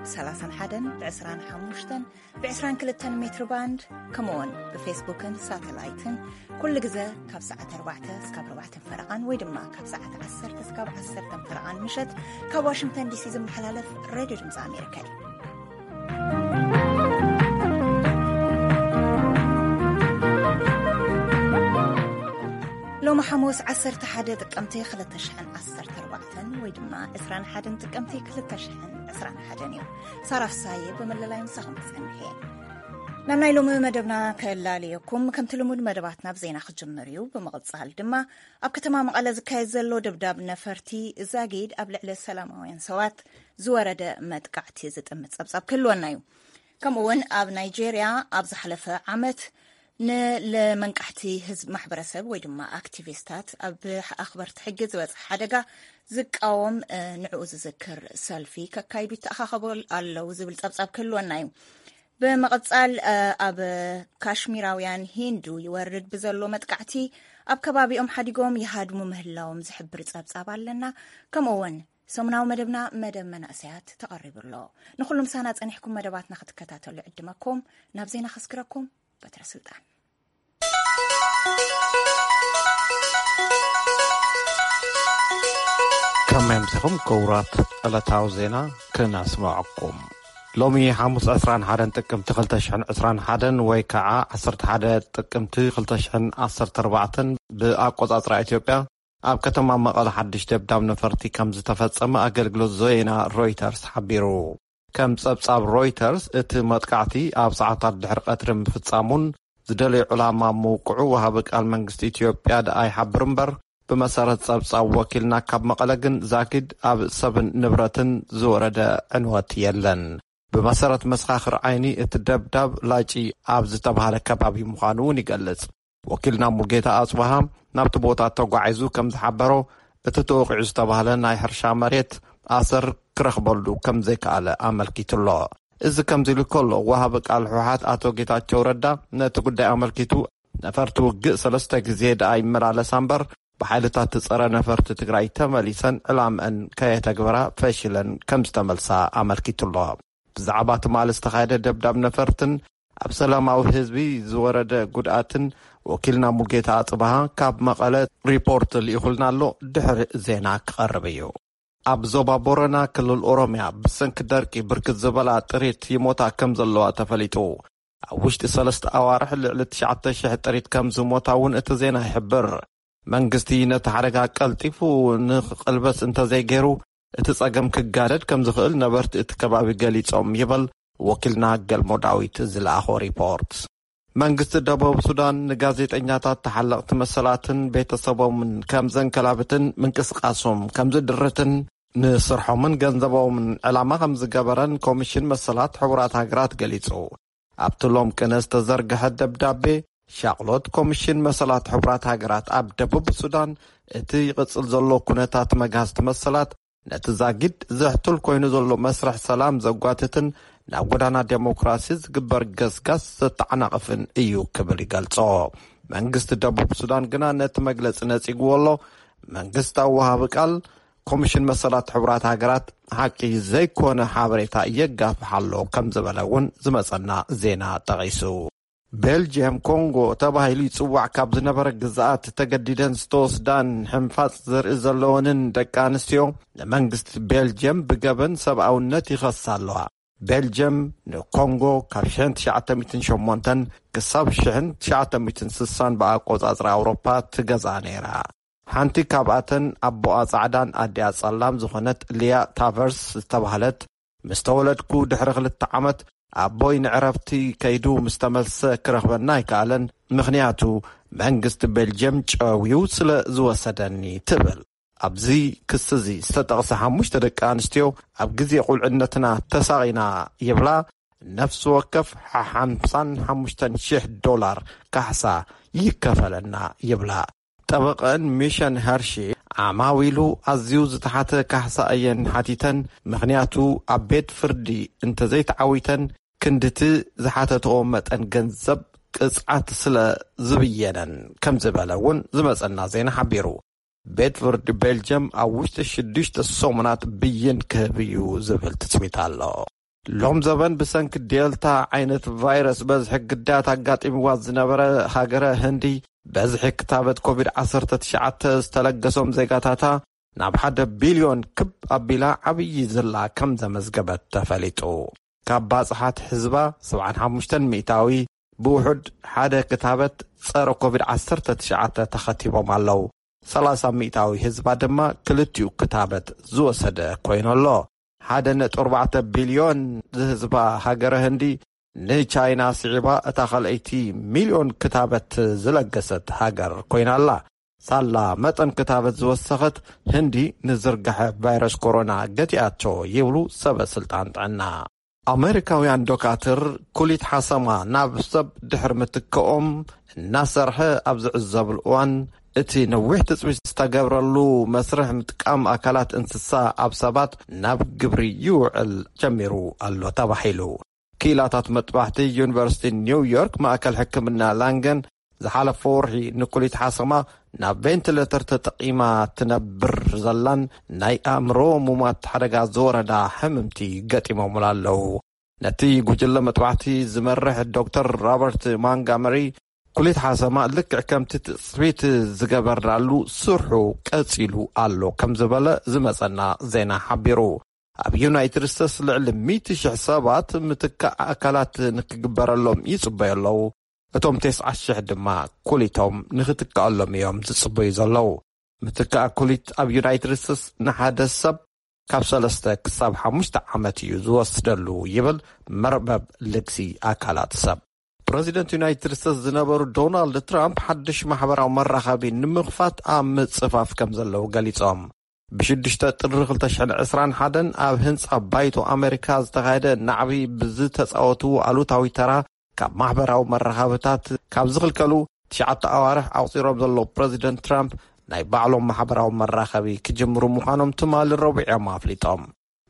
ሰላሳን ሓደን ብ25ን ብ22ን ሜትር ባንድ፣ ከምኡውን ብፌስቡክን ሳተላይትን ኩሉ ግዘ ካብ ሰዓት ኣርባዕተ እስካብ ኣርባዕተን ፈረቓን ወይ ድማ ካብ ሰዓት ዓሰርተ እስካብ ዓሰርተን ፈረቓን ምሸት ካብ ዋሽንግተን ዲሲ ዝመሓላለፍ ሬድዮ ድምፂ ኣሜሪካ እዩ። ሎሚ ሓሙስ ዓሰርተ ሓደ ጥቅምቲ ክልተ ሽሕን ዓሰርተ ኣርባዕተን ወይ ድማ ዕስራን ሓደን ጥቅምቲ ክልተ ሽሕን ዕስራን ሓደን እዩ። ሳራ ፍሳዬ ብምልላይ ምሳኹም ክጸንሕ እየ። ናብ ናይ ሎሚ መደብና ከላልየኩም፣ ከምቲ ልሙድ መደባትና ብዜና ክጅምር እዩ። ብምቕጻል ድማ ኣብ ከተማ መቐለ ዝካየድ ዘሎ ደብዳብ ነፈርቲ ዛጊድ ኣብ ልዕሊ ሰላማውያን ሰባት ዝወረደ መጥቃዕቲ ዝጥምት ጸብጻብ ክህልወና እዩ። ከምኡ እውን ኣብ ናይጄርያ ኣብ ዝሓለፈ ዓመት ንለመንቃሕቲ ህዝብ ማሕበረሰብ ወይ ድማ ኣክቲቪስታት ኣብ ኣኽበርቲ ሕጊ ዝበፅሐ ሓደጋ ዝቃወም፣ እ፣ ንዕኡ ዝዝክር ሰልፊ ከካይዱ ይተኣኻኸቡ ኣለዉ ዝብል ጸብጻብ ክህልወና እዩ። ብምቕጻል፣ እ፣ ኣብ ካሽሚራውያን ሂንዱ ይወርድ ብዘሎ መጥቃዕቲ ኣብ ከባቢኦም ሓዲጎም ይሃድሙ ምህላዎም ዝሕብር ጸብጻብ ኣለና። ከምኡ እውን ሰሙናዊ መደብና መደብ መናእሰያት ተቐሪቡ ኣሎ። ንኹሉ ምሳና ጸኒሕኩም መደባትና ክትከታተሉ ዕድመኩም። ናብ ዜና ከስግረኩም በትረ ስልጣን። ከመይ ኣምሲኹም ክቡራት ዕለታዊ ዜና ክነስምዐኩም። ሎሚ ሓሙስ ዕስራን ሓደን ጥቅምቲ ክልተ ሽሕን ዕስራን ሓደን ወይ ከዓ ዓሰርተ ሓደ ጥቅምቲ ክልተ ሽሕን ዓሰርተ ኣርባዕተን ብኣቆጻጽራ ኢትዮጵያ ኣብ ከተማ መቐለ ሓድሽ ደብዳብ ነፈርቲ ከም ዝተፈጸመ ኣገልግሎት ዜና ሮይተርስ ሓቢሩ። ከም ጸብጻብ ሮይተርስ፣ እቲ መጥቃዕቲ ኣብ ሰዓታት ድሕሪ ቀትሪ ምፍጻሙን ዝደለዮ ዕላማ ምውቅዑ ወሃቢ ቃል መንግስቲ ኢትዮጵያ ደኣ ይሓብር እምበር፣ ብመሰረት ጸብጻብ ወኪልና ካብ መቐለ ግን ዛጊድ ኣብ ሰብን ንብረትን ዝወረደ ዕንወት የለን። ብመሰረት መሰኻኽር ዓይኒ፣ እቲ ደብዳብ ላጪ ኣብ ዝተባህለ ከባቢ ምዃኑ እውን ይገልጽ። ወኪልና ሙልጌታ ኣጽብሃ ናብቲ ቦታ ተጓዒዙ ከም ዝሓበሮ፣ እቲ ተወቒዑ ዝተባህለ ናይ ሕርሻ መሬት ኣሰር ክረኽበሉ ከም ዘይከኣለ ኣመልኪቱ ኣሎ። እዚ ከምዚ ኢሉ ከሎ፣ ወሃቢ ቃል ህወሓት ኣቶ ጌታቸው ረዳ ነቲ ጉዳይ ኣመልኪቱ፣ ነፈርቲ ውግእ ሰለስተ ግዜ ደኣ ይመላለሳ እምበር፣ ብሓይልታት ጸረ ነፈርቲ ትግራይ ተመሊሰን ዕላምአን ከየተግበራ ፈሺለን ከም ዝተመልሳ ኣመልኪቱ ኣሎ። ብዛዕባ ትማሊ ዝተኻየደ ደብዳብ ነፈርትን ኣብ ሰላማዊ ህዝቢ ዝወረደ ጉድኣትን ወኪልና ሙልጌታ ኣጽብሃ ካብ መቐለ ሪፖርት ልኢኹልና ኣሎ። ድሕሪ ዜና ክቐርብ እዩ። ኣብ ዞባ ቦረና ክልል ኦሮምያ ብሰንኪ ደርቂ ብርክት ዝበላ ጥሪት ይሞታ ከም ዘለዋ ተፈሊጡ። ኣብ ውሽጢ ሰለስተ ኣዋርሕ ልዕሊ ትሽዓተ ሽሕ ጥሪት ከም ዝሞታ እውን እቲ ዜና ይሕብር። መንግስቲ ነቲ ሓደጋ ቀልጢፉ ንክቕልበስ እንተዘይገይሩ፣ እቲ ጸገም ክጋደድ ከም ዝኽእል ነበርቲ እቲ ከባቢ ገሊጾም ይብል ወኪልና ገልሞ ዳዊት ዝለኣኾ ሪፖርት። መንግስቲ ደቡብ ሱዳን ንጋዜጠኛታት፣ ተሓለቕቲ መሰላትን ቤተሰቦምን ከም ዘንከላብትን ምንቅስቃሶም ከም ዝድርትን ንስርሖምን ገንዘቦምን ዕላማ ከም ዝገበረን ኮሚሽን መሰላት ሕቡራት ሃገራት ገሊጹ። ኣብቲ ሎም ቅነ ዝተዘርግሐ ደብዳቤ፣ ሻቕሎት ኮሚሽን መሰላት ሕቡራት ሃገራት ኣብ ደቡብ ሱዳን፣ እቲ ይቕጽል ዘሎ ኩነታት መግሃስቲ መሰላት፣ ነቲ ዛጊድ ዘሕትል ኮይኑ ዘሎ መስርሕ ሰላም ዘጓትትን ናብ ጎዳና ዴሞክራሲ ዝግበር ገስጋስ ዘተዓናቕፍን እዩ ክብል ይገልጾ። መንግስቲ ደቡብ ሱዳን ግና ነቲ መግለጺ ነጺግዎ ኣሎ። መንግስታዊ ወሃቢ ቃል ኮሚሽን መሰላት ሕቡራት ሃገራት ሓቂ ዘይኮነ ሓበሬታ የጋፍሕ ኣሎ ከም ዝበለ እውን ዝመጸና ዜና ጠቒሱ። ቤልጅየም ኮንጎ ተባሂሉ ይጽዋዕ ካብ ዝነበረ ግዝኣት ተገዲደን ዝተወስዳን ሕንፋጽ ዘርኢ ዘለወንን ደቂ ኣንስትዮ ንመንግስቲ ቤልጅየም ብገበን ሰብኣውነት ይኸሳ ኣለዋ። ቤልጅየም ንኮንጎ ካብ ሽሕን ትሽዓተ ሚእትን ሸሞንተን ክሳብ ሽሕን ትሽዓተ ሚእትን ስሳን ብኣቆጻጽራ ኣውሮፓ ትገዝኣ ነይራ። ሓንቲ ካብኣተን ኣቦኣ ጻዕዳን ኣዲኣ ጸላም ዝኾነት ሊያ ታቨርስ ዝተባህለት፣ "ምስ ተወለድኩ ድሕሪ ክልተ ዓመት ኣቦይ ንዕረፍቲ ከይዱ ምስ ተመልሰ ክረኽበና ኣይከኣለን፣ ምኽንያቱ መንግስቲ ቤልጅየም ጨውዩ ስለ ዝወሰደኒ" ትብል። ኣብዚ ክሲ እዚ ዝተጠቕሰ ሓሙሽተ ደቂ ኣንስትዮ፣ "ኣብ ግዜ ቁልዕነትና ተሳቒና" ይብላ። ነፍሲ ወከፍ ሓምሳን ሓሙሽተን ሽሕ ዶላር ካሕሳ ይከፈለና ይብላ። ጠበቐን ሚሸን ሀርሺ፣ ዓማዊሉ ኣዝዩ ዝተሓተ ካሕሳ እየን ሓቲተን፣ ምኽንያቱ ኣብ ቤት ፍርዲ እንተዘይተዓዊተን ክንድቲ ዝሓተትኦ መጠን ገንዘብ ቅጽዓት ስለ ዝብየነን ከም ዝበለ እውን ዝመጸና ዜና ሓቢሩ። ቤት ፍርዲ ቤልጅየም ኣብ ውሽጢ ሽዱሽተ ሰሙናት ብይን ክህብ እዩ ዝብል ትጽቢት ኣሎ። ሎም ዘበን ብሰንኪ ዴልታ ዓይነት ቫይረስ በዝሒ ግዳያት ኣጋጢምዋ ዝነበረ ሃገረ ህንዲ፣ በዝሒ ክታበት ኮቪድ ዓሰርተ ትሽዓተ ዝተለገሶም ዜጋታታ ናብ ሓደ ቢልዮን ክብ ኣቢላ ዓብዪ ዝላ ከም ዘመዝገበት ተፈሊጡ። ካብ ባጽሓት ህዝባ ሰብዓን ሓሙሽተን ሚእታዊ ብውሑድ ሓደ ክታበት ጸረ ኮቪድ ዓሰርተ ትሽዓተ ተኸቲቦም ኣለዉ። ሰላሳ ሚእታዊ ህዝባ ድማ ክልቲኡ ክታበት ዝወሰደ ኮይኑ ኣሎ። ሓደ ነጥቢ ኣርባዕተ ቢልዮን ዝህዝባ ሃገረ ህንዲ ንቻይና ስዒባ እታ ካልኣይቲ ሚልዮን ክታበት ዝለገሰት ሃገር ኮይና ኣላ። ሳላ መጠን ክታበት ዝወሰኸት ህንዲ ንዝርጋሐ ቫይረስ ኮሮና ገቲኣቶ ይብሉ ሰበ ስልጣን ጥዕና። ኣመሪካውያን ዶካትር ኩሊት ሓሰማ ናብ ሰብ ድሕሪ ምትክኦም እናሰርሐ ኣብ ዝዕዘብሉ እዋን፣ እቲ ነዊሕ ትጽቢት ዝተገብረሉ መስርሕ ምጥቃም ኣካላት እንስሳ ኣብ ሰባት ናብ ግብሪ ይውዕል ጀሚሩ ኣሎ ተባሂሉ። ክኢላታት መጥባሕቲ ዩኒቨርሲቲ ኒው ዮርክ ማእከል ሕክምና ላንገን ዝሓለፈ ወርሒ ንኩሊት ሓሰማ ናብ ቬንቲሌተር ተጠቒማ ትነብር ዘላን ናይ ኣእምሮ ሙማት ሓደጋ ዝወረዳ ሕምምቲ ገጢሞምላ ኣለዉ። ነቲ ጉጅለ መጥባሕቲ ዝመርሕ ዶክተር ሮበርት ማንጋመሪ፣ ኩሊት ሓሰማ ልክዕ ከምቲ ትጽቢት ዝገበርናሉ ስርሑ ቀጺሉ ኣሎ ከም ዝበለ ዝመጸና ዜና ሓቢሩ። ኣብ ዩናይትድ ስቴትስ ልዕሊ ሚእቲ ሽሕ ሰባት ምትካእ ኣካላት ንክግበረሎም ይጽበዩ ኣለዉ። እቶም ተስዓ ሽሕ ድማ ኩሊቶም ንክትከኣሎም እዮም ዝጽበዩ ዘለዉ። ምትካእ ኩሊት ኣብ ዩናይትድ ስቴትስ ንሓደ ሰብ ካብ ሰለስተ ክሳብ ሓሙሽተ ዓመት እዩ ዝወስደሉ ይብል መርበብ ልግሲ ኣካላት ሰብ። ፕረዚደንት ዩናይትድ ስቴትስ ዝነበሩ ዶናልድ ትራምፕ ሓድሽ ማሕበራዊ መራኸቢ ንምኽፋት ኣብ ምጽፋፍ ከም ዘለዉ ገሊጾም። ብሽዱሽተ ጥሪ ክልተ ሽሕን ዕስራን ሓደን ኣብ ህንጻ ባይቶ ኣመሪካ ዝተኻየደ ናዕቢ ብዝተጻወትዎ ኣሉታዊ ተራ ካብ ማሕበራዊ መራኸብታት ካብ ዝኽልከሉ ትሽዓተ ኣዋርሕ ኣቑጺሮም ዘለዉ ፕረዚደንት ትራምፕ፣ ናይ ባዕሎም ማሕበራዊ መራኸቢ ክጅምሩ ምዃኖም ትማሊ ረቡዕ እዮም ኣፍሊጦም።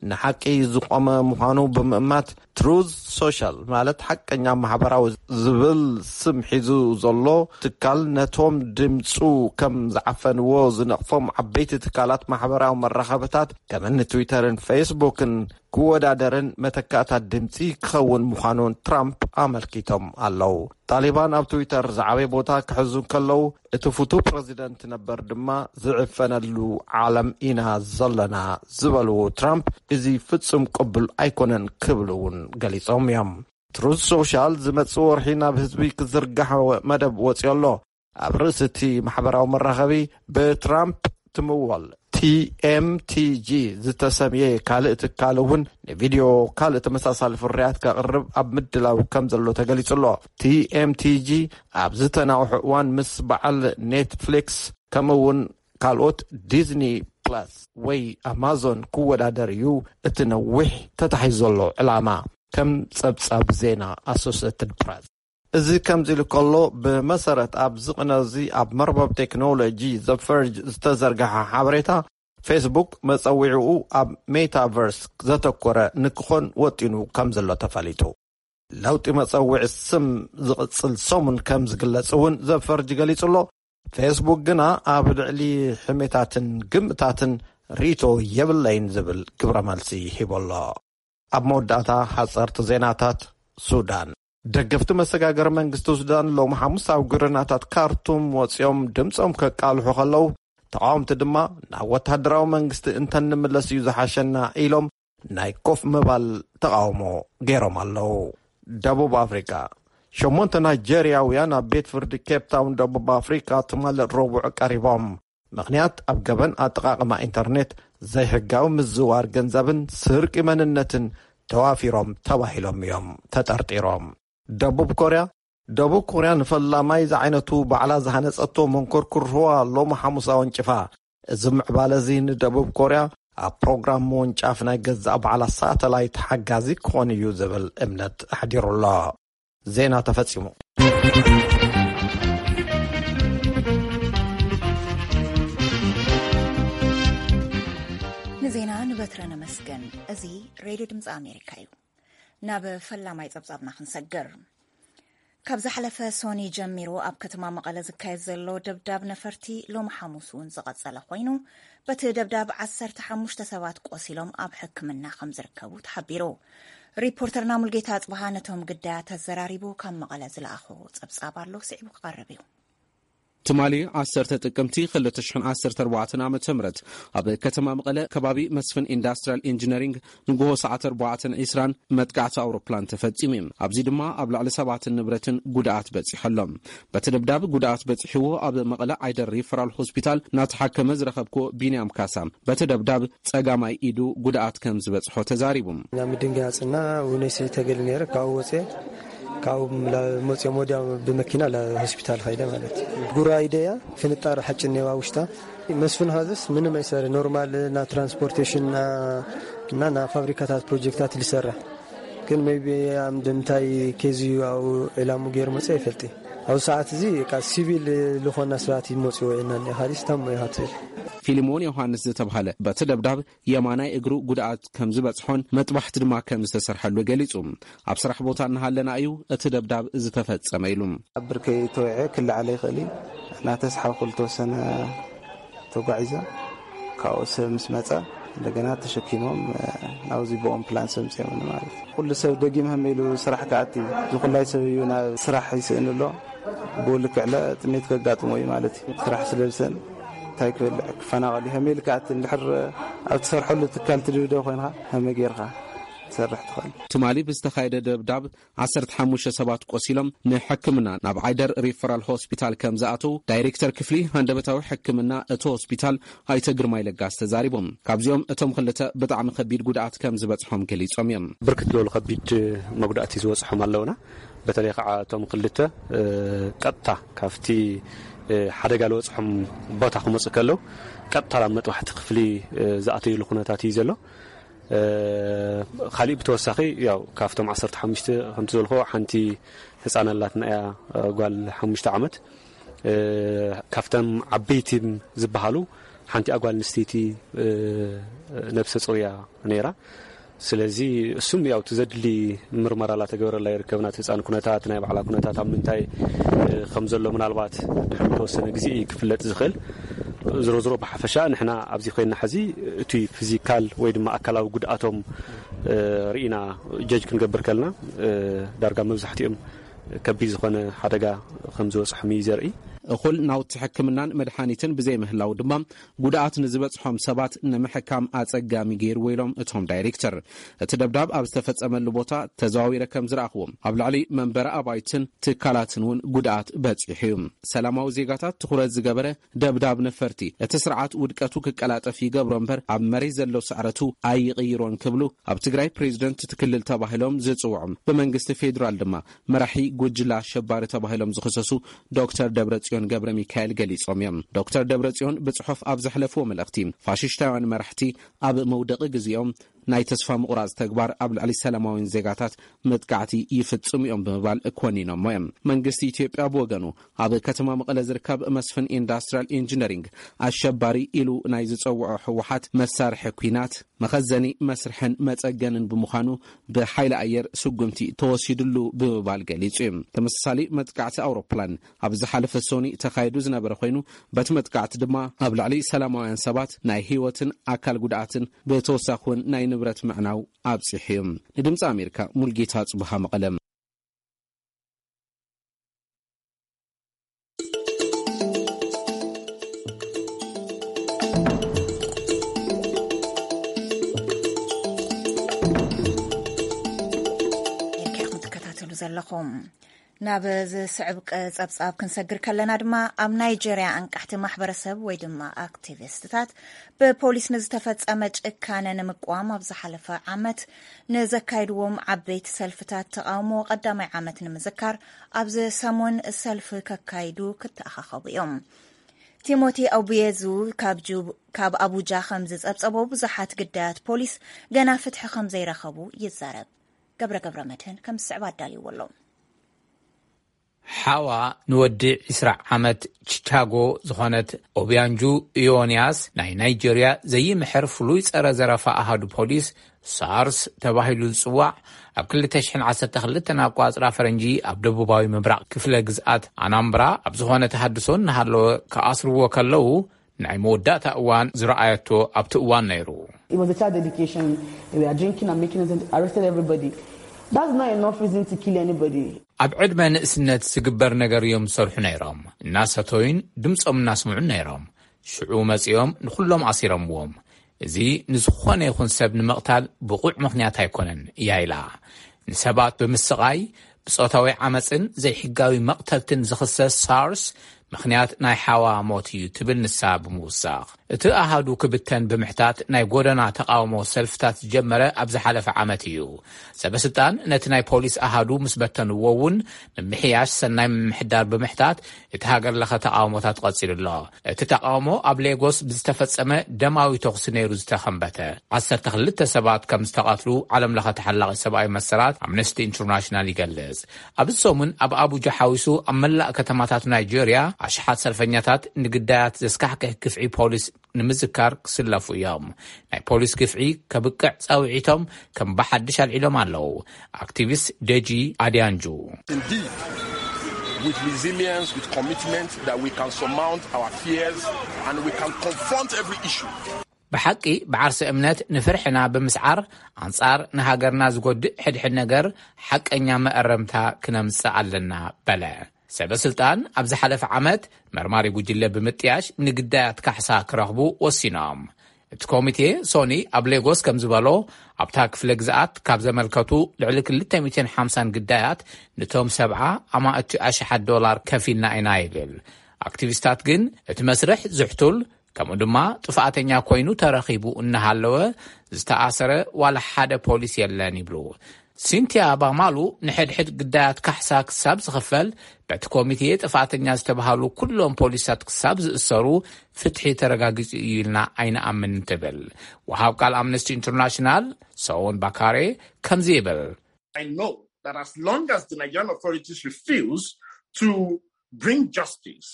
ንሓቂ ዝቖመ ምዃኑ ብምእማት፣ ትሩዝ ሶሻል ማለት ሓቀኛ ማሕበራዊ ዝብል ስም ሒዙ ዘሎ ትካል፣ ነቶም ድምጹ ከም ዝዓፈንዎ ዝነቕፎም ዓበይቲ ትካላት ማሕበራዊ መራኸብታት ከም እኒ ትዊተርን ፌስቡክን ክወዳደርን መተካእታት ድምጺ ክኸውን ምዃኑን ትራምፕ ኣመልኪቶም ኣለዉ። ጣሊባን ኣብ ትዊተር ዝዓበየ ቦታ ክሕዙ እንከለዉ፣ እቲ ፍቱው ፕረዚደንት ነበር ድማ ዝዕፈነሉ ዓለም ኢና ዘለና ዝበልዎ ትራምፕ፣ እዚ ፍጹም ቅቡል ኣይኮነን ክብሉ እውን ገሊጾም እዮም። ትሩዝ ሶሻል ዝመጽእ ወርሒ ናብ ህዝቢ ክዝርጋሕ መደብ ወጺኡ ኣሎ። ኣብ ርእሲ እቲ ማሕበራዊ መራኸቢ ብትራምፕ ትምወል ቲ ኤም ቲ ጂ ዝተሰምየ ካልእ ትካል እውን ንቪድዮ ካልእ ተመሳሳሊ ፍርያት ከቕርብ ኣብ ምድላው ከም ዘሎ ተገሊጹ ኣሎ። ቲ ኤም ቲ ጂ ኣብ ዝተናውሐ እዋን ምስ በዓል ኔትፍሊክስ ከምኡ እውን ካልኦት ዲዝኒ ፕላስ ወይ ኣማዞን ክወዳደር እዩ እቲ ነዊሕ ተታሒዙ ዘሎ ዕላማ፣ ከም ጸብጻብ ዜና ኣሶሴትድ ፕረስ። እዚ ከምዚ ኢሉ ከሎ፣ ብመሰረት ኣብዚ ቅነ እዚ ኣብ መርበብ ቴክኖሎጂ ዘፈርጅ ዝተዘርግሐ ሓበሬታ፣ ፌስቡክ መጸዊዕኡ ኣብ ሜታቨርስ ዘተኮረ ንክኾን ወጢኑ ከም ዘሎ ተፈሊጡ። ለውጢ መጸውዒ ስም ዝቕጽል ሰሙን ከም ዝግለጽ እውን ዘፈርጅ ገሊጹ ኣሎ። ፌስቡክ ግና ኣብ ልዕሊ ሕሜታትን ግምታትን ርእይቶ የብለይን ዝብል ግብረ መልሲ ሂቡ ኣሎ። ኣብ መወዳእታ ሓጸርቲ ዜናታት ሱዳን። ደገፍቲ መሰጋገሪ መንግስቲ ሱዳን ሎም ሓሙስ ኣብ ጎደናታት ካርቱም ወጺኦም ድምጾም ከቃልሑ ከለዉ፣ ተቓወምቲ ድማ ናብ ወተሃደራዊ መንግስቲ እንተንምለስ እዩ ዝሓሸና ኢሎም ናይ ኮፍ ምባል ተቓውሞ ገይሮም ኣለዉ። ደቡብ ኣፍሪቃ። ሸሞንተ ናይጀርያውያን ኣብ ቤት ፍርዲ ኬፕ ታውን ደቡብ ኣፍሪቃ ትማሊ ረቡዕ ቀሪቦም። ምኽንያት ኣብ ገበን ኣጠቓቕማ ኢንተርኔት፣ ዘይሕጋዊ ምዝዋር ገንዘብን ስርቂ መንነትን ተዋፊሮም ተባሂሎም እዮም ተጠርጢሮም። ደቡብ ኮርያ። ደቡብ ኮርያ ንፈላማይ ዝዓይነቱ ባዕላ ዝሃነጸቶ መንኮርኩር ህዋ ሎሚ ሓሙስ ኣወንጭፋ። እዚ ምዕባለ እዚ ንደቡብ ኮርያ ኣብ ፕሮግራም ምውንጫፍ ናይ ገዛእ ባዕላ ሳተላይት ሓጋዚ ክኾን እዩ ዝብል እምነት ኣሕዲሩ ኣሎ። ዜና ተፈጺሙ። ንዜና ንበትረ ነመስገን። እዚ ሬድዮ ድምፂ ኣሜሪካ እዩ። ናብ ፈላማይ ጸብጻብና ክንሰግር። ካብ ዝሓለፈ ሶኒ ጀሚሩ ኣብ ከተማ መቐለ ዝካየድ ዘሎ ደብዳብ ነፈርቲ ሎም ሓሙስ እውን ዝቐጸለ ኮይኑ፣ በቲ ደብዳብ ዓሰርተ ሓሙሽተ ሰባት ቆሲሎም ኣብ ሕክምና ከም ዝርከቡ ተሓቢሩ። ሪፖርተርና ሙልጌታ ኣጽብሃ ነቶም ግዳያት ኣዘራሪቡ ካብ መቐለ ዝለኣኾ ጸብጻብ ኣሎ፣ ስዒቡ ክቐርብ እዩ። ትማሊ ዓሰርተ ጥቅምቲ ክልተ ሽሕን ዓሰርተ ኣርባዕተን ዓመተ ምህረት ኣብ ከተማ መቐለ ከባቢ መስፍን ኢንዳስትሪያል ኢንጂነሪንግ ንግሆ ሰዓት ኣርባዕተን ዕስራን መጥቃዕቲ ኣውሮፕላን ተፈጺሙ እዩ። ኣብዚ ድማ ኣብ ልዕሊ ሰባትን ንብረትን ጉድኣት በጺሑ ኣሎ። በቲ ደብዳብ ጉድኣት በጺሕዎ ኣብ መቐለ ዓይደር ሪፈራል ሆስፒታል እናተሓከመ ዝረኸብኩዎ ቢንያም ካሳ በቲ ደብዳብ ጸጋማይ ኢዱ ጉድኣት ከም ዝበጽሖ ተዛሪቡ። ናብ ምድንጋጽና ውነይ ሰይተገል ነይረ ካብኡ ወፅየ ካብኡ መፅኦም ወዲያ ብመኪና ሆስፒታል ኸይደ ማለት እዩ። ጉራ ኢደያ ፍንጣር ሓጭን ነዋ ውሽጣ መስፍን ሀዝስ ምንም ኣይሰር ኖርማል ና ትራንስፖርቴሽን እና ና ፋብሪካታት ፕሮጀክታት ልሰራ ግን ቢ ምታይ ኬዝ ዩ ኣው ዕላሙ ገይር መፅእ ይፈልጥ። ኣብ ሰዓት እዚ ሲቪል ልኾና ስርዓት ይመፅዎ ኢና ካሊስ ታሞ ይሃትል። ፊልሞን ዮሃንስ ዝተባሃለ በቲ ደብዳብ የማናይ እግሩ ጉድኣት ከም ዝበጽሖን መጥባሕቲ ድማ ከም ዝተሰርሐሉ ገሊጹ። ኣብ ስራሕ ቦታ እናሃለና እዩ እቲ ደብዳብ ዝተፈጸመ ኢሉ። ኣብ ብርከይ ተወዐ ክልዓለ ይኽእል እዩ። እናተስሓብኩ ዝተወሰነ ተጓዒዘ ካብኡ ሰብ ምስ መፀ እንደገና ተሸኪሞም ናብዚ ብኦም ፕላን ሰምፅዮም ማለት ኩሉ ሰብ ደጊም ሃመ ኢሉ ስራሕ ክኣቲ ዝኩላይ ሰብ እዩ ናብ ስራሕ ይስእን ኣሎ። ብኡ ልክዕ ጥሜት ከጋጥሞ እዩ ማለት እዩ። ስራሕ ስለዝሰን እንታይ ክበልዕ ክፈናቐል እዩ። ከመይ ኢልካ እቲ እንድሕር ኣብ ትሰርሐሉ ትካል ትድብደብ ኮይንካ ከመይ ጌርካ ትሰርሕ ትኽእል? ትማሊ ብዝተኻየደ ደብዳብ ዓሰርተ ሓሙሽተ ሰባት ቆሲሎም ንሕክምና ናብ ዓይደር ሪፈራል ሆስፒታል ከም ዝኣተው ዳይሬክተር ክፍሊ ሃንደበታዊ ሕክምና እቲ ሆስፒታል ኣይተ ግርማይ ለጋስ ተዛሪቦም። ካብዚኦም እቶም ክልተ ብጣዕሚ ከቢድ ጉድኣት ከም ዝበፅሖም ገሊፆም እዮም። ብርክት ዝበሉ ከቢድ መጉዳእቲ ዝበፅሖም ኣለውና። በተለይ ከዓ እቶም ክልተ ቀጥታ ካብቲ ሓደጋ ዝበፅሖም ቦታ ክመፁ ከለው ቀጥታ ናብ መጥባሕቲ ክፍሊ ዝኣተይሉ ኩነታት እዩ ዘሎ። ካሊእ ብተወሳኺ ያው ካብቶም ዓሰርተ ሓሙሽተ ከምቲ ዝበልኮ ሓንቲ ህፃን ኣላትና እያ፣ ጓል ሓሙሽተ ዓመት። ካብተም ዓበይቲ ዝበሃሉ ሓንቲ ጓል ኣንስተይቲ ነብሰ ጾር እያ ነይራ። ስለዚ እሱም ያው እቲ ዘድሊ ምርመራ ላተገበረላ ይርከብ። ናት ህፃን ኩነታት ናይ ባዕላ ኩነታት ኣብ ምንታይ ከም ዘሎ ምናልባት ድሕሪ ተወሰነ ግዜ እዩ ክፍለጥ ዝኽእል። ዝሮ ዝሮ ብሓፈሻ ንሕና ኣብዚ ኮይና ሕዚ እቲ ፊዚካል ወይ ድማ ኣካላዊ ጉድኣቶም ርኢና ጀጅ ክንገብር ከልና ዳርጋ መብዛሕትኦም ከቢድ ዝኾነ ሓደጋ ከም ዝበፅሖም እዩ ዘርኢ። እኹል ናውቲ ሕክምናን መድሓኒትን ብዘይምህላው ድማ ጉድኣት ንዝበፅሖም ሰባት ንምሕካም ኣፀጋሚ ገይርዎ ኢሎም እቶም ዳይሬክተር። እቲ ደብዳብ ኣብ ዝተፈፀመሉ ቦታ ተዘዋዊረ ከም ዝረኣኽዎ ኣብ ልዕሊ መንበሪ ኣባይትን ትካላትን እውን ጉድኣት በፂሑ እዩ። ሰላማዊ ዜጋታት ትኹረት ዝገበረ ደብዳብ ነፈርቲ እቲ ስርዓት ውድቀቱ ክቀላጠፍ ይገብሮ እምበር ኣብ መሬት ዘሎ ስዕረቱ ኣይቕይሮን ክብሉ ኣብ ትግራይ ፕሬዚደንት እቲ ክልል ተባሂሎም ዝፅውዑ ብመንግስቲ ፌዴራል ድማ መራሒ ጉጅለ ኣሸባሪ ተባሂሎም ዝኽሰሱ ዶክተር ደብረጽዮን ገብረ ሚካኤል ገሊጾም እዮም። ዶክተር ደብረጽዮን ብጽሑፍ ኣብ ዘሕለፍዎ መልእኽቲ ፋሽሽታውያን መራሕቲ ኣብ መውደቂ ግዜኦም ናይ ተስፋ ምቑራጽ ተግባር ኣብ ልዕሊ ሰላማውያን ዜጋታት መጥቃዕቲ ይፍጽሙ እዮም ብምባል ኮኒኖሞ እዮም። መንግስቲ ኢትዮጵያ ብወገኑ ኣብ ከተማ መቐለ ዝርከብ መስፍን ኢንዳስትሪያል ኢንጂነሪንግ ኣሸባሪ ኢሉ ናይ ዝጸውዖ ህወሓት መሳርሒ ኲናት መኸዘኒ መስርሕን መጸገንን ብምዃኑ ብሓይሊ ኣየር ስጉምቲ ተወሲድሉ ብምባል ገሊጹ እዩ። ተመሳሳሊ መጥቃዕቲ ኣውሮፕላን ኣብ ዝሓለፈ ሶኒ ተኻይዱ ዝነበረ ኮይኑ በቲ መጥቃዕቲ ድማ ኣብ ልዕሊ ሰላማውያን ሰባት ናይ ህይወትን ኣካል ጉድኣትን ብተወሳኺ እውን ናይ ንብረት ምዕናው ኣብፂሑ እዩ። ንድምፂ ኣሜሪካ ሙልጌታ ጽቡሃ መቐለ። ኢልካ ኢኹም ትከታተሉ ዘለኹም። ናብ ዝስዕብ ቀ-፣ ጸብጻብ ክንሰግር ከለና ድማ ኣብ ናይጀርያ ኣንቃሕቲ ማሕበረሰብ ወይ ድማ ኣክቲቪስትታት ብፖሊስ ንዝተፈጸመ ጭካነ ንምቅዋም ኣብ ዝሓለፈ ዓመት ንዘካይድዎም ዓበይቲ ሰልፍታት ተቓውሞ ቀዳማይ ዓመት ንምዝካር ኣብዚ ሰሙን ሰልፊ ከካይዱ ክተኣኻኸቡ እዮም። ቲሞቲ ኣቡየዙ ካብ ጁብ-፣ ካብ ኣቡጃ ከም ዝጸብጸቦ ብዙሓት ግዳያት ፖሊስ ገና ፍትሒ ከም ዘይረኸቡ ይዛረብ። ገብረ ገብረ መድህን ከም ዝስዕብ ኣዳልይዎ ኣሎ። ሓዋ ንወዲ ዕስራ ዓመት ቺካጎ ዝኾነት ኦቢያንጁ ኢዮንያስ፣ ናይ ናይጀርያ ዘይምሕር ፍሉይ ጸረ ዘረፋ ኣሃዱ ፖሊስ ሳርስ ተባሂሉ ዝጽዋዕ፣ ኣብ ክልተ ሽሕን ዓሰርተ ክልተን ኣቋጽራ ፈረንጂ ኣብ ደቡባዊ ምብራቕ ክፍለ ግዝኣት ኣናምብራ ኣብ ዝኾነ ተሃድሶ እናሃለወ ክኣስርዎ ከለዉ፣ ናይ መወዳእታ እዋን ዝረኣየቶ ኣብቲ እዋን ነይሩ። It was a child dedication. They were drinking and making noise and arrested everybody. That's not enough reason to kill anybody. ኣብ ዕድመ ንእስነት ዝግበር ነገር እዮም ዝሰርሑ ነይሮም። እናሰተዩን ድምፆም እናስምዑን ነይሮም። ሽዑ መፂኦም ንኩሎም ኣሲሮምዎም። እዚ ንዝኾነ ይኹን ሰብ ንምቕታል ብቑዕ ምኽንያት ኣይኮነን እያ ኢላ። ንሰባት ብምስቓይ፣ ብጾታዊ ዓመፅን ዘይሕጋዊ መቕተልትን ዝኽሰስ ሳርስ ምኽንያት ናይ ሓዋ ሞት እዩ ትብል ንሳ ብምውሳኽ። እቲ ኣሃዱ ክብተን ብምሕታት ናይ ጎደና ተቓውሞ ሰልፍታት ዝጀመረ ኣብ ዝሓለፈ ዓመት እዩ። ሰበስልጣን ነቲ ናይ ፖሊስ ኣሃዱ ምስ በተንዎ እውን ምምሕያሽ ሰናይ ምምሕዳር ብምሕታት እቲ ሃገር ለኸ ተቓውሞታት ቀጺሉ ኣሎ። እቲ ተቓውሞ ኣብ ሌጎስ ብዝተፈጸመ ደማዊ ተኹሲ ነይሩ ዝተኸንበተ። ዓሰርተ ክልተ ሰባት ከም ዝተቐትሉ ዓለም ለኸ ተሓላቒ ሰብኣዊ መሰላት ኣምነስቲ ኢንተርናሽናል ይገልጽ። ኣብዚ ሰሙን ኣብ ኣቡጃ ሓዊሱ ኣብ መላእ ከተማታት ናይጀርያ ኣሽሓት ሰልፈኛታት ንግዳያት ዘስካሕክሕ ግፍዒ ፖሊስ ንምዝካር ክስለፉ እዮም። ናይ ፖሊስ ግፍዒ ከብቅዕ ጻውዒቶም ከም ብሓድሽ ኣልዒሎም ኣለዉ። ኣክቲቪስት ደጂ ኣድያንጁ። Indeed, with resilience, with commitment that we can surmount our fears and we can confront every issue. ብሓቂ ብዓርሰ እምነት ንፍርሕና ብምስዓር ኣንጻር ንሃገርና ዝጎድእ ሕድሕድ ነገር ሓቀኛ መእረምታ ክነምጽእ ኣለና በለ። ሰበ ስልጣን ኣብ ዝሓለፈ ዓመት መርማሪ ጉጅለ ብምጥያሽ ንግዳያት ካሕሳ ክረኽቡ ወሲኖም። እቲ ኮሚቴ ሶኒ ኣብ ሌጎስ ከም ዝበሎ ኣብታ ክፍለ ግዝኣት ካብ ዘመልከቱ ልዕሊ ክልተ ሚእትን ሓምሳን ግዳያት ንቶም ሰብዓ ኣማእቲ ኣሽሓት ዶላር ከፊልና ኢና ይብል። ኣክቲቪስታት ግን እቲ መስርሕ ዝሕቱል ከምኡ ድማ ጥፍኣተኛ ኮይኑ ተረኺቡ እናሃለወ ዝተኣሰረ ዋላ ሓደ ፖሊስ የለን ይብሉ። ሲንቲያ ባማሉ ንሕድሕድ ግዳያት ካሕሳ ክሳብ ዝኽፈል በቲ ኮሚቴ ጥፍኣተኛ ዝተባሃሉ ኩሎም ፖሊሳት ክሳብ ዝእሰሩ ፍትሒ ተረጋጊጹ እዩ ኢልና ኣይንኣምን ትብል። ወሃብ ቃል ኣምነስቲ ኢንተርናሽናል ሰውን ባካሬ ከምዚ ይብል። I know that as long as the Nigerian authorities refuse to bring justice,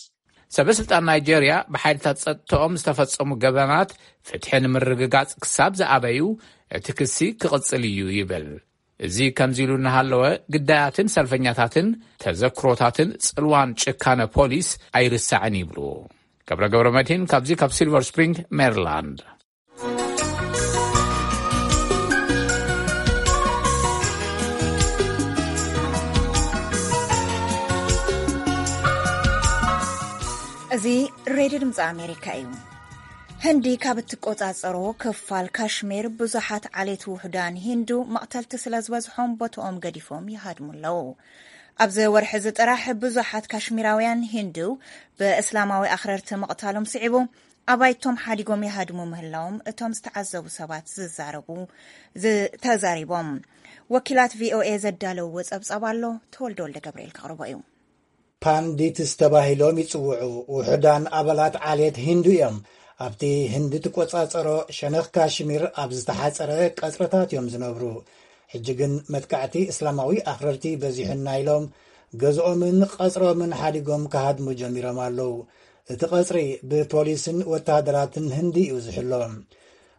ሰበ ስልጣን ናይጄርያ ብሓይልታት ጸጥታኦም ዝተፈጸሙ ገበናት ፍትሒ ንምርግጋጽ ክሳብ ዝኣበዩ እቲ ክሲ ክቕጽል እዩ ይብል። እዚ ከምዚ ኢሉ እናሃለወ ግዳያትን ሰልፈኛታትን ተዘክሮታትን ጽልዋን ጭካነ ፖሊስ ኣይርሳዕን ይብሉ። ገብረ ገብረ መድህን ካብዚ ካብ ሲልቨር ስፕሪንግ ሜሪላንድ። እዚ ሬድዮ ድምፂ ኣሜሪካ እዩ። ህንዲ ካብ እትቆጻጸሮ ክፋል ካሽሚር ብዙሓት ዓሌት ውሑዳን ሂንዱ መቕተልቲ ስለ ዝበዝሖም ቦትኦም ገዲፎም ይሃድሙ ኣለዉ። ኣብዚ ወርሒ እዚ ጥራሕ ብዙሓት ካሽሚራውያን ሂንዱ ብእስላማዊ ኣኽረርቲ ምቕታሎም ስዒቡ ኣባይቶም ሓዲጎም ይሃድሙ ምህላዎም እቶም ዝተዓዘቡ ሰባት ዝዛረቡ ተዛሪቦም። ወኪላት ቪኦኤ ዘዳለውዎ ጸብጻብ ኣሎ፣ ተወልደ ወልደ ገብርኤል ከቕርቦ እዩ። ፓንዲትስ ተባሂሎም ይጽውዑ። ውሑዳን ኣባላት ዓሌት ሂንዱ እዮም። ኣብቲ ህንዲ ትቆጻጸሮ ሸነኽ ካሽሚር ኣብ ዝተሓጸረ ቀጽርታት እዮም ዝነብሩ። ሕጂ ግን መጥቃዕቲ እስላማዊ ኣኽረርቲ በዚሑና ኢሎም ገዝኦምን ቀጽሮምን ሓዲጎም ክሃድሙ ጀሚሮም ኣለዉ። እቲ ቀጽሪ ብፖሊስን ወተሃደራትን ህንዲ እዩ ዝሕሎ።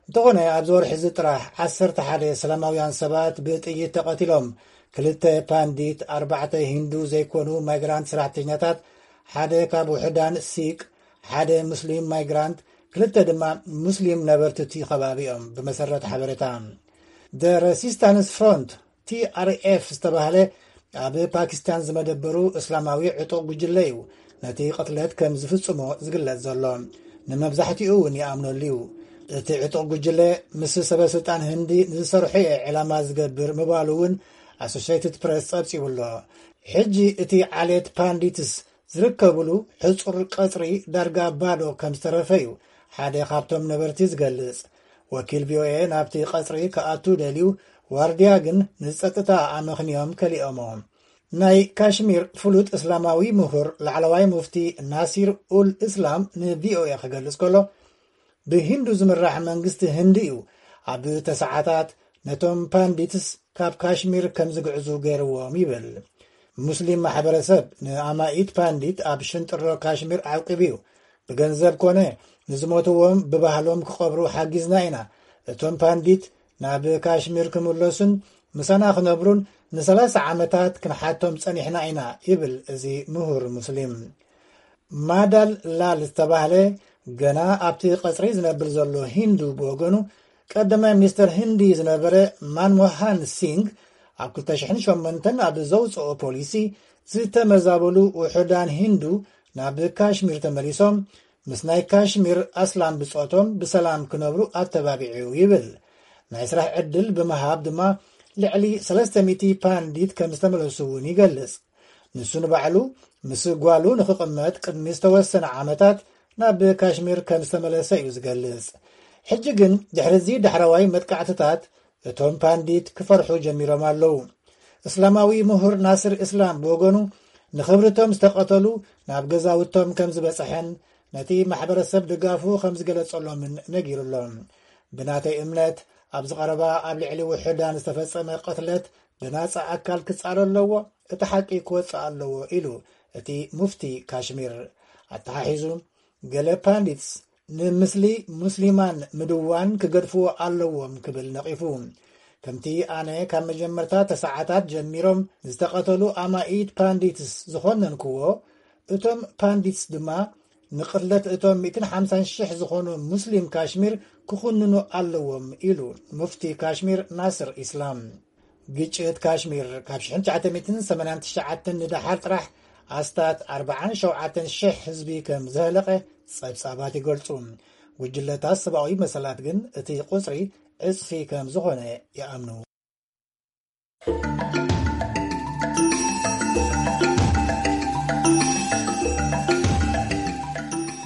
እንተኾነ ኣብዚ ወርሒ እዚ ጥራሕ ዓሰርተ ሓደ ሰላማውያን ሰባት ብጥይት ተቐቲሎም። ክልተ ፓንዲት፣ ኣርባዕተ ሂንዱ ዘይኮኑ ማይግራንት ሰራሕተኛታት፣ ሓደ ካብ ውሑዳን ሲቅ፣ ሓደ ሙስሊም ማይግራንት፣ ክልተ ድማ ሙስሊም ነበርቲ እቲ ከባቢ እዮም፣ ብመሰረት ሓበሬታ። The Resistance Front፣ ቲ ኣር ኤፍ ዝተባህለ ኣብ ፓኪስታን ዝመደበሩ እስላማዊ ዕጡቕ ጉጅለ እዩ ነቲ ቅትለት ከም ዝፍጽሞ ዝግለጽ ዘሎ። ንመብዛሕትኡ እውን ይኣምነሉ እዩ። እቲ ዕጡቕ ጉጅለ ምስ ሰበ ስልጣን ህንዲ ንዝሰርሖ እየ ዕላማ ዝገብር ምባሉ እውን ኣሶሼትድ ፕረስ ጸብጺቡ ኣሎ። ሕጂ እቲ ዓሌት ፓንዲትስ ዝርከብሉ ሕጹር ቀጽሪ ዳርጋ ባዶ ከም ዝተረፈ እዩ ሓደ ካብቶም ነበርቲ ዝገልጽ። ወኪል ቪኦኤ ናብቲ ቀጽሪ ክኣቱ ደልዩ ዋርድያ ግን ንጸጥታ ኣመኽንዮም ከሊኦሞ። ናይ ካሽሚር ፍሉጥ እስላማዊ ምሁር ላዕለዋይ ሙፍቲ ናሲር ኡል እስላም ንቪኦኤ ክገልጽ ከሎ ብሂንዱ ዝምራሕ መንግስቲ ህንዲ እዩ ኣብ ተሰዓታት ነቶም ፓንዲትስ ካብ ካሽሚር ከም ዝግዕዙ ገይርዎም ይብል። ሙስሊም ማሕበረሰብ ንኣማኢት ፓንዲት ኣብ ሽንጥሮ ካሽሚር ዓቂቡ እዩ። ብገንዘብ ኮነ ንዝሞትዎም ብባህሎም ክቐብሩ ሓጊዝና ኢና። እቶም ፓንዲት ናብ ካሽሚር ክምለሱን ምሳና ክነብሩን ንሰላሳ ዓመታት ክንሓቶም ጸኒሕና ኢና፣ ይብል እዚ ምሁር ሙስሊም። ማዳል ላል ዝተባህለ ገና ኣብቲ ቀጽሪ ዝነብር ዘሎ ሂንዱ ብወገኑ፣ ቀዳማይ ሚኒስተር ህንዲ ዝነበረ ማንሞሃን ሲንግ ኣብ ክልተ ሽሕን ሸሞንተን ኣብ ዘውፅኦ ፖሊሲ፣ ዝተመዛበሉ ውሑዳን ሂንዱ ናብ ካሽሚር ተመሊሶም ምስ ናይ ካሽሚር ኣስላም ብጾቶም ብሰላም ክነብሩ ኣተባቢዑ ይብል። ናይ ስራሕ ዕድል ብምሃብ ድማ ልዕሊ ሰለስተ ሚእቲ ፓንዲት ከም ዝተመለሱ እውን ይገልጽ። ንሱ ንባዕሉ ምስ ጓሉ ንኽቕመጥ ቅድሚ ዝተወሰነ ዓመታት ናብ ካሽሚር ከም ዝተመለሰ እዩ ዝገልጽ። ሕጂ ግን ድሕሪ እዚ ዳሕረዋይ መጥቃዕትታት እቶም ፓንዲት ክፈርሑ ጀሚሮም ኣለዉ። እስላማዊ ምሁር ናስር እስላም ብወገኑ ንኽብርቶም ዝተቐተሉ ናብ ገዛውቶም ከም ዝበጽሐን ነቲ ማሕበረሰብ ድጋፉ ከም ዝገለጸሎምን ነጊሩ ኣሎ። ብናተይ እምነት ኣብዚ ቀረባ ኣብ ልዕሊ ውሑዳን ዝተፈጸመ ቅትለት ብናጻ ኣካል ክጻረ ኣለዎ፣ እቲ ሓቂ ክወጽእ ኣለዎ ኢሉ እቲ ሙፍቲ ካሽሚር። ኣተሓሒዙ ገለ ፓንዲትስ ንምስሊ ሙስሊማን ምድዋን ክገድፍዎ ኣለዎም ክብል ነቒፉ። ከምቲ ኣነ ካብ መጀመርታ ተሰዓታት ጀሚሮም ዝተቐተሉ ኣማኢት ፓንዲትስ ዝኾነንክዎ፣ እቶም ፓንዲትስ ድማ ንቕትለት እቶም ሚእትን ሓምሳን ሽሕ ዝኾኑ ሙስሊም ካሽሚር ክኹንኑ ኣለዎም ኢሉ ሙፍቲ ካሽሚር ናስር ኢስላም። ግጭት ካሽሚር ካብ ሽሕን ትሽዓተ ሚእትን ሰማንያን ትሽዓተን ንደሓር ጥራሕ ኣስታት ኣርባዓን ሸውዓተን ሽሕ ህዝቢ ከም ዘህለቐ ጸብጻባት ይገልጹ። ጉጅለታት ሰብኣዊ መሰላት ግን እቲ ቁጽሪ ዕጽፊ ከም ዝኾነ ይኣምኑ።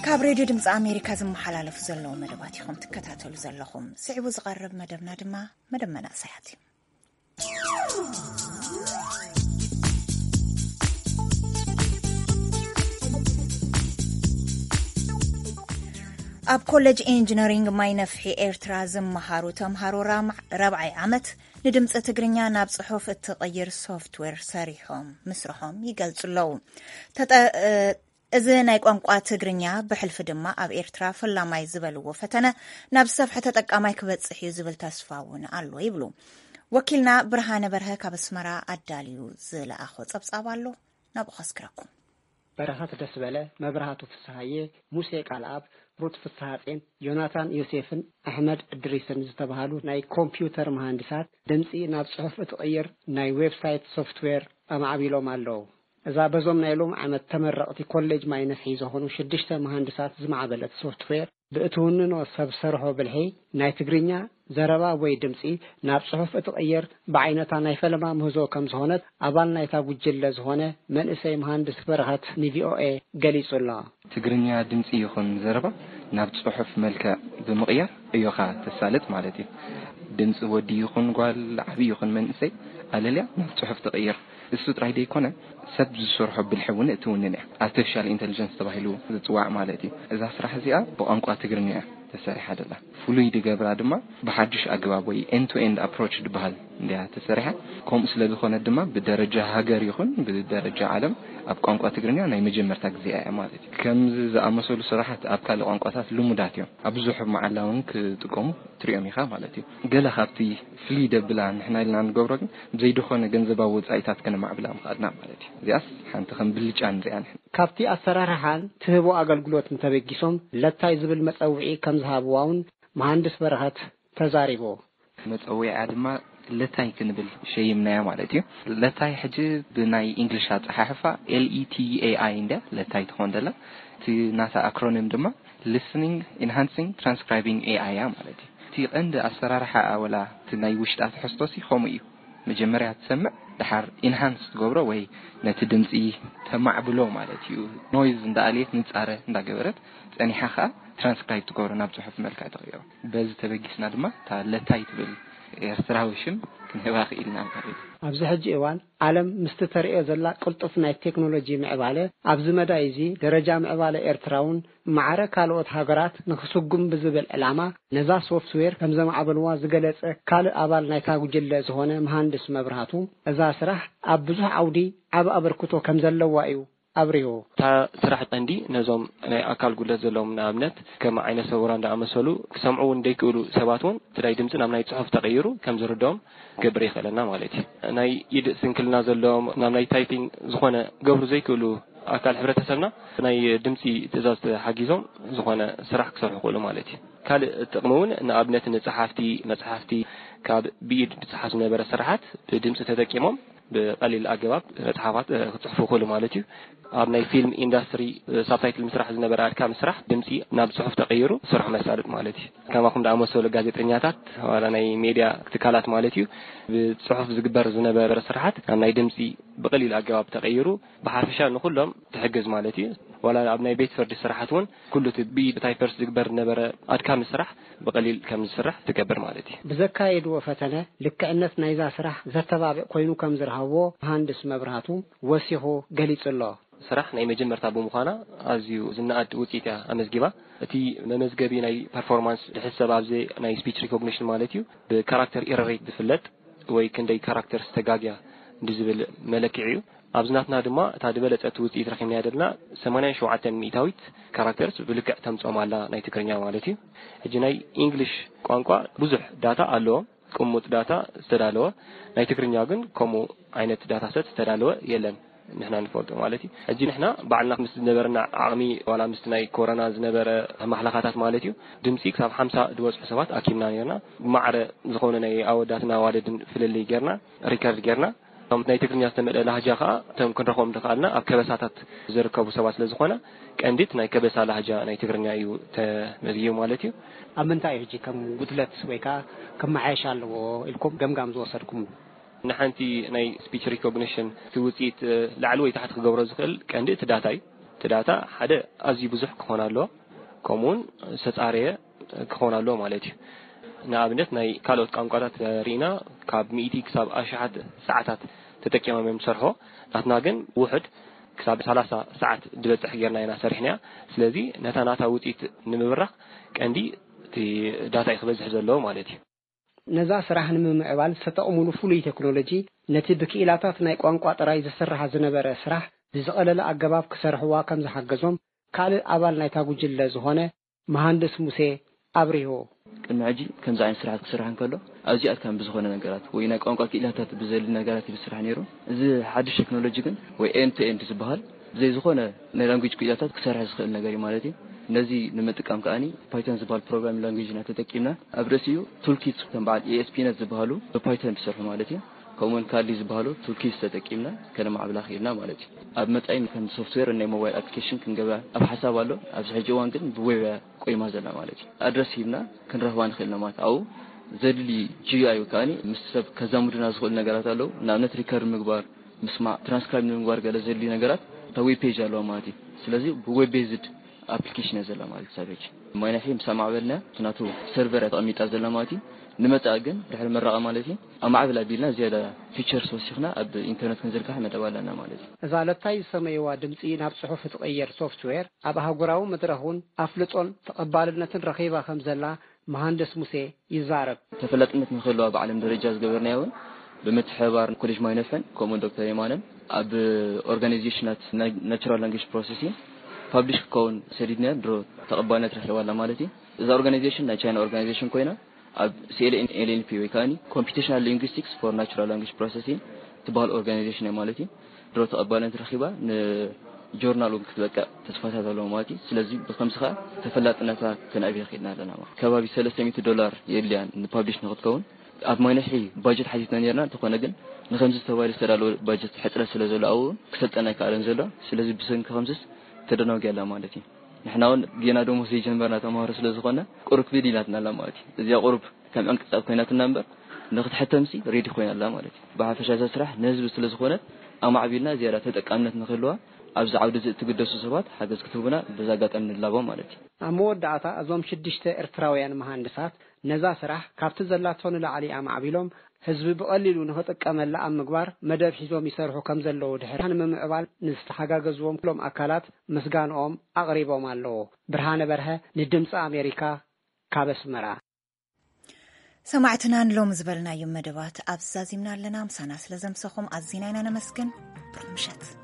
ካብ ሬድዮ ድምፂ ኣሜሪካ ዝመሓላለፉ ዘለዉ መደባት ኢኹም ትከታተሉ ዘለኹም። ስዒቡ ዝቐርብ መደብና ድማ መደብ መናእሰያት እዩ። ኣብ ኮሌጅ ኢንጂነሪንግ ማይ ነፍሒ ኤርትራ ዝመሃሩ ተምሃሮ ራብዓይ ዓመት ንድምፂ ትግርኛ ናብ ፅሑፍ እትቕይር ሶፍትዌር ሰሪሖም ምስርሖም ይገልፁ ኣለዉ። እዚ ናይ ቋንቋ ትግርኛ ብሕልፊ ድማ ኣብ ኤርትራ ፈላማይ ዝበልዎ ፈተነ ናብ ዝሰፍሐ ተጠቃማይ ክበፅሕ እዩ ዝብል ተስፋ እውን ኣሎ ይብሉ። ወኪልና ብርሃነ በርሀ ካብ ኣስመራ ኣዳልዩ ዝለኣኾ ጸብጻብ ኣሎ፣ ናብኡ ከስክረኩም። በረኸት ደስበለ፣ መብራህቱ ፍስሃየ፣ ሙሴ ቃልኣብ፣ ሩት ፍስሃጼን፣ ዮናታን ዮሴፍን ኣሕመድ እድሪስን ዝተባህሉ ናይ ኮምፒውተር መሃንዲሳት ድምፂ ናብ ፅሑፍ እትቕይር ናይ ዌብሳይት ሶፍትዌር ኣማዕቢሎም ኣለዉ። እዛ በዞም ናይ ሎም ዓመት ተመረቕቲ ኮሌጅ ማይ ነፍሒ ዝኾኑ ሽዱሽተ መሃንድሳት ዝማዕበለት ሶፍትዌር ብእትውንኖ ሰብ ሰርሖ ብልሒ ናይ ትግርኛ ዘረባ ወይ ድምፂ ናብ ፅሑፍ እትቕይር ብዓይነታ ናይ ፈለማ ምህዞ ከም ዝኾነት ኣባል ናይታ ጉጅለ ዝኾነ መንእሰይ መሃንድስ በረኸት ንቪኦኤ ገሊጹ ኣሎ። ትግርኛ ድምፂ ይኹን ዘረባ ናብ ፅሑፍ መልክዕ ብምቕያር ዕዮኻ ተሳልጥ ማለት እዩ። ድምፂ ወዲ ይኹን ጓል፣ ዓብዪ ይኹን መንእሰይ ኣለልያ ናብ ፅሑፍ ትቕይር። እሱ ጥራይ ዘይኮነ ሰብ ዝሰርሖ ብልሒ እውን እትውንን እያ። ኣርቲፊሻል ኢንተሊጀንስ ተባሂሉ ዝፅዋዕ ማለት እዩ። እዛ ስራሕ እዚኣ ብቋንቋ ትግርኛ እያ ተሰሪሓ ደላ። ፍሉይ ድገብራ ድማ ብሓድሽ ኣገባብ ወይ ኤንድ ቱ ኤንድ ኣፕሮች ዝበሃል እንዲያ ተሰሪሓ። ከምኡ ስለ ዝኾነ ድማ ብደረጃ ሃገር ይኹን ብደረጃ ዓለም ኣብ ቋንቋ ትግርኛ ናይ መጀመርታ ግዜ እያ ማለት እዩ። ከምዚ ዝኣመሰሉ ስራሓት ኣብ ካልእ ቋንቋታት ልሙዳት እዮም። ኣብ ብዙሕ መዓላ እውን ክጥቀሙ ትሪኦም ኢኻ ማለት እዩ። ገለ ካብቲ ፍልይ ደብላ ንሕና ኢልና ንገብሮ ግን ብዘይድኾነ ገንዘባዊ ወጻኢታት ከነማዕብላ ምኽኣልና ማለት እዩ። እዚኣስ ሓንቲ ከም ብልጫ ንሪኣ ንሕና። ካብቲ ኣሰራርሓን ትህቦ ኣገልግሎትን ተበጊሶም ለታይ ዝብል መጸውዒ ከም ዝሃብዋ እውን መሃንድስ በረኸት ተዛሪቡ። መጸውዒኣ ድማ ለታይ ክንብል ሸይምናያ ማለት እዩ። ለታይ ሕጂ ብናይ ኢንግሊሽ ኣጸሓሕፋ ኤል ኢ ቲ ኤ ኣይ እንድያ ለታይ ትኾን ዘላ። እቲ ናታ ኣክሮኒም ድማ ሊስኒንግ ኢንሃንሲንግ ትራንስክራይቢንግ ኤ ኣይ እያ ማለት እዩ። እቲ ቀንዲ ኣሰራርሓ ኣወላ እቲ ናይ ውሽጣ ትሕዝቶሲ ከምኡ እዩ። መጀመርያ ትሰምዕ፣ ድሓር ኢንሃንስ ትገብሮ ወይ ነቲ ድምፂ ተማዕብሎ ማለት እዩ። ኖይዝ እንዳኣልየት ንፃረ እንዳገበረት ጸኒሓ ኸኣ ትራንስክራይብ ትገብሮ ናብ ጽሑፍ መልክዕ ትቕይሮ። በዚ ተበጊስና ድማ እታ ለታይ ትብል ኤርትራዊ ሽም ክንህባ ክኢልና ማለት እዩ። ኣብዚ ሕጂ እዋን ዓለም ምስቲ ተርእዮ ዘላ ቅልጡፍ ናይ ቴክኖሎጂ ምዕባለ፣ ኣብዚ መዳይ እዚ ደረጃ ምዕባለ ኤርትራ እውን ማዕረ ካልኦት ሃገራት ንኽስጉም ብዝብል ዕላማ ነዛ ሶፍትዌር ከም ዘማዕበልዋ ዝገለጸ ካልእ ኣባል ናይታ ጉጅለ ዝኾነ መሃንድስ መብራህቱ፣ እዛ ስራሕ ኣብ ብዙሕ ዓውዲ ዓቢ ኣበርክቶ ከም ዘለዋ እዩ ኣብሪሁ። እታ ስራሕ ቀንዲ ነዞም ናይ ኣካል ጉድለት ዘለዎም፣ ንኣብነት ከም ዓይነ ስውራን ዝኣመሰሉ፣ ክሰምዑ እውን ዘይክእሉ ሰባት እውን እቲ ናይ ድምፂ ናብ ናይ ጽሑፍ ተቐይሩ ከም ዝርድኦም ክገብር የኽእለና ማለት እዩ። ናይ ኢድ ስንክልና ዘለዎም፣ ናብ ናይ ታይፒንግ ዝኾነ ክገብሩ ዘይክእሉ ኣካል ሕብረተሰብና ናይ ድምፂ ትእዛዝ ተሓጊዞም ዝኾነ ስራሕ ክሰርሑ ይኽእሉ ማለት እዩ። ካልእ ጥቕሚ እውን ንኣብነት ንጸሓፍቲ መጽሓፍቲ ካብ ብኢድ ዝጸሓፍ ዝነበረ ስራሓት ብድምፂ ተጠቂሞም ብቐሊል ኣገባብ መጽሓፋት ክጽሕፉ ይኽእሉ ማለት እዩ። ኣብ ናይ ፊልም ኢንዳስትሪ ሳብታይትል ምስራሕ ዝነበረ ኣድካሚ ስራሕ ድምፂ ናብ ጽሑፍ ተቐይሩ ስርሑ መሳለጥ ማለት እዩ። ከማኹም ዝኣመሰሉ ጋዜጠኛታት ዋላ ናይ ሜድያ ትካላት ማለት እዩ፣ ብጽሑፍ ዝግበር ዝነበረ ስራሓት ናብ ናይ ድምፂ ብቐሊል ኣገባብ ተቐይሩ ብሓፈሻ ንኹሎም ትሕግዝ ማለት እዩ። ዋላ ኣብ ናይ ቤት ፍርዲ ስራሓት እውን ኩሉ እቲ ብኢድ ታይፐርስ ዝግበር ዝነበረ ኣድካሚ ስራሕ ብቐሊል ከም ዝስራሕ ትገብር ማለት እዩ። ብዘካየድዎ ፈተነ ልክዕነት ናይዛ ስራሕ ዘተባብዕ ኮይኑ ከም ዝረኸብዎ መሃንድስ መብራህቱ ወሲኹ ገሊጹ ኣሎ። ስራሕ ናይ መጀመርታ ብምዃና ኣዝዩ ዝነኣድ ውፅኢት እያ ኣመዝጊባ። እቲ መመዝገቢ ናይ ፐርፎርማንስ ዝሕሰብ ኣብዚ ናይ ስፒች ሪኮግኒሽን ማለት እዩ፣ ብካራክተር ኢረር ሬት ዝፍለጥ ወይ ክንደይ ካራክተርስ ተጋግያ ብዝብል መለክዒ እዩ። ኣብዚ ናትና ድማ እታ ዝበለጸት ውፅኢት ረኺብናያ ዘለና ሰማንያን ሸውዓተን ሚእታዊት ካራክተርስ ብልክዕ ተምፅኦም ኣላ ናይ ትግርኛ ማለት እዩ። ሕጂ ናይ ኢንግሊሽ ቋንቋ ብዙሕ ዳታ ኣለዎም፣ ቅሙጥ ዳታ ዝተዳለወ፣ ናይ ትግርኛ ግን ከምኡ ዓይነት ዳታ ሰት ዝተዳለወ የለን። ንሕና ንፈልጦ ማለት እዩ። ሕጂ ንሕና ባዕልና ምስ ዝነበረና ዓቕሚ ዋላ ምስቲ ናይ ኮሮና ዝነበረ ማሕለኻታት ማለት እዩ፣ ድምፂ ክሳብ ሓምሳ ዝበፅሑ ሰባት ኣኪብና ነርና። ብማዕረ ዝኾነ ናይ ኣወዳትን ኣዋልድን ፍልልይ ጌርና ሪከርድ ጌርና። እቶም ናይ ትግርኛ ዝተመልአ ላህጃ ከዓ እቶም ክንረኽቦም ዝኸኣልና ኣብ ከበሳታት ዝርከቡ ሰባት ስለ ዝኾነ ቀንዲት ናይ ከበሳ ላህጃ ናይ ትግርኛ እዩ ተመዝጊቡ ማለት እዩ። ኣብ ምንታይ እዩ ሕጂ ከም ጉድለት ወይ ከዓ ክመሓየሽ ኣለዎ ኢልኩም ገምጋም ዝወሰድኩምሉ? ንሓንቲ ናይ ስፒች ሪኮግኒሽን እቲ ውፅኢት ላዕሊ ወይ ታሕቲ ክገብሮ ዝኽእል ቀንዲ እቲ ዳታ እዩ። እቲ ዳታ ሓደ ኣዝዩ ብዙሕ ክኾን ኣለዎ፣ ከምኡውን ዝተፃረየ ክኾን ኣለዎ ማለት እዩ። ንኣብነት ናይ ካልኦት ቋንቋታት ርኢና ካብ ሚእቲ ክሳብ ኣሽሓት ሰዓታት ተጠቂሞም እዮም ዝሰርሖ። ናትና ግን ውሑድ ክሳብ ሰላሳ ሰዓት ዝበፅሕ ጌርና ኢና ሰሪሕናያ። ስለዚ ነታ ናታ ውፅኢት ንምብራኽ ቀንዲ እቲ ዳታ እዩ ክበዝሕ ዘለዎ ማለት እዩ። ነዛ ስራሕ ንምምዕባል ዝተጠቕሙሉ ፍሉይ ቴክኖሎጂ ነቲ ብክኢላታት ናይ ቋንቋ ጥራይ ዝስራሕ ዝነበረ ስራሕ ብዝቐለለ ኣገባብ ክሰርሕዋ ከም ዝሓገዞም ካልእ ኣባል ናይታ ጉጅለ ዝኾነ መሃንድስ ሙሴ ኣብሪሁ። ቅድሚ ሕጂ ከምዚ ዓይነት ስራሓት ክስራሕ እንከሎ ኣዝዩ ኣድካሚ ብዝኾነ ነገራት ወይ ናይ ቋንቋ ክኢላታት ብዘድሊ ነገራት እዩ ዝስራሕ ነይሩ። እዚ ሓድሽ ቴክኖሎጂ ግን ወይ ኤንድ ቱ ኤንድ ዝበሃል ብዘይ ዝኾነ ናይ ላንጉጅ ክኢላታት ክሰርሕ ዝኽእል ነገር እዩ ማለት እዩ። ነዚ ንምጥቃም ከኣኒ ፓይቶን ዝበሃል ፕሮግራሚንግ ላንጉጅ ኢና ተጠቂምና። ኣብ ርእሲኡ ቱልኪት ከም በዓል ኤ ኤስ ፒ ነት ዝበሃሉ ብፓይቶን ዝሰርሑ ማለት እዩ። ከምኡውን ካልዲ ዝበሃሉ ቱልኪት ተጠቂምና ከነማዕብላ ክኢልና ማለት እዩ። ኣብ መጻኢ ከም ሶፍትዌር ናይ ሞባይል ኣፕሊኬሽን ክንገብራ ኣብ ሓሳብ ኣሎ። ኣብዚ ሕጂ እዋን ግን ብዌብ እያ ቆይማ ዘላ ማለት እዩ። ኣድረስ ሂብና ክንረኽባ ንኽእል ኢና ማለት ኣብኡ ዘድሊ ጂ ዩ ኣይ ወይ ከኣኒ ምስ ሰብ ከዛምዱና ዝኽእሉ ነገራት ኣለዉ። ንኣብነት ሪከርድ ምግባር፣ ምስማዕ፣ ትራንስክራይብ ንምግባር ገለ ዘድልዩ ነገራት እታ ዌብ ፔጅ ኣለዋ ማለት እዩ። ስለዚ ብዌብ ቤዝድ ኣፕሊኬሽን እያ ዘላ ማለት እዩ። ክሳብ ሕጂ ማይናሒ ምስ ኣማዕበልና እቲ ናቱ ሰርቨር እያ ተቐሚጣ ዘላ ማለት እዩ። ንመጻኢ ግን ድሕሪ ምረቓ ማለት እዩ ኣማዕብል ኣቢልና ዝያዳ ፊቸርስ ወሲኽና ኣብ ኢንተርነት ክንዝርግሓ መደብ ኣለና ማለት እዩ። እዛ ለታይ ዝሰመይዋ ድምጺ ናብ ጽሑፍ እትቕየር ሶፍትዌር ኣብ ኣህጉራዊ መድረኽ እውን ኣፍልጦን ተቐባልነትን ረኺባ ከም ዘላ መሃንድስ ሙሴ ይዛረብ። ተፈላጥነት ንክህልዋ ብዓለም ደረጃ ዝገበርናዮ እውን ብምትሕብባር ኮሌጅ ማይነፈን ከምኡ ዶክተር የማነን ኣብ ኦርጋናይዜሽናት ናቹራል ላንጉጅ ፕሮሰሲንግ ፓብሊሽ ክከውን ሰዲድናዮ ድሮ ተቐባልነት ረኺባ ኣላ ማለት እዩ። እዛ ኦርጋናይዜሽን ናይ ቻይና ኦርጋናይዜሽን ኮይና ኣብ ሲ ኤል ኤን ኤል ኤን ፒ ወይ ከኣኒ ኮምፒቲሽናል ሊንጉስቲክስ ፎር ናቹራል ላንጉጅ ፕሮሰሲንግ ትበሃል ኦርጋናይዜሽን እያ ማለት እዩ። ድሮ ተቐባልነት ረኺባ ንጆርናል እውን ክትበቅዕ ተስፋታት ኣለዎ ማለት እዩ። ስለዚ ብከምዚ ከዓ ተፈላጥነታ ከነዕብዮ ክኢልና ኣለና ማለት እዩ። ከባቢ ሰለስተ ሚእቲ ዶላር የድልያን ንፓብሊሽ ንክትከውን። ኣብ ማይነሒ ባጀት ሓቲትና ነርና፣ እንተኾነ ግን ንከምዚ ተባሂሉ ዝተዳለወ ባጀት ሕፅረት ስለ ዘሎ ኣብኡ እውን ክሰልጠና ኣይከኣለን ዘሎ። ስለዚ ብሰንኪ ከምዚስ ተደናጉያ ኣላ ማለት እዩ። ንሕና እውን ጌና ደሞዝ ዘይጀመርና ተምሃሮ ስለ ዝኾና ቁሩብ ክብድ ኢላትና ኣላ ማለት እዩ። እዚኣ ቁሩብ ከም ዕንቅፃብ ኮይናትና እምበር ንክትሕተምሲ ሬዲ ኮይና ኣላ ማለት እዩ። ብሓፈሻ እዛ ስራሕ ንህዝቢ ስለ ዝኾነት ኣማዕቢልና ዝያዳ ተጠቃምነት ንክህልዋ ኣብዚ ዓውዲ እዚ እትግደሱ ሰባት ሓገዝ ክትህቡና በዚ ኣጋጣሚ ንላቦ ማለት እዩ። ኣብ መወዳእታ እዞም ሽዱሽተ ኤርትራውያን መሃንድሳት ነዛ ስራሕ ካብቲ ዘላቶ ንላዕሊ ኣማዕቢሎም ህዝቢ ብቐሊሉ ንኽጥቀመላ ኣብ ምግባር መደብ ሒዞም ይሰርሑ ከም ዘለዉ ድሕሪ ንምምዕባል ንዝተሓጋገዝዎም ኩሎም ኣካላት ምስጋንኦም ኣቕሪቦም ኣለዉ። ብርሃነ በርሀ ንድምፂ ኣሜሪካ ካብ ኣስመራ። ሰማዕትና ንሎሚ ዝበልናዮም መደባት ኣብዚ ዛዚምና ኣለና። ምሳና ስለ ዘምሰኹም ኣዚና ኢና ነመስግን። ብሩኽ ምሸት።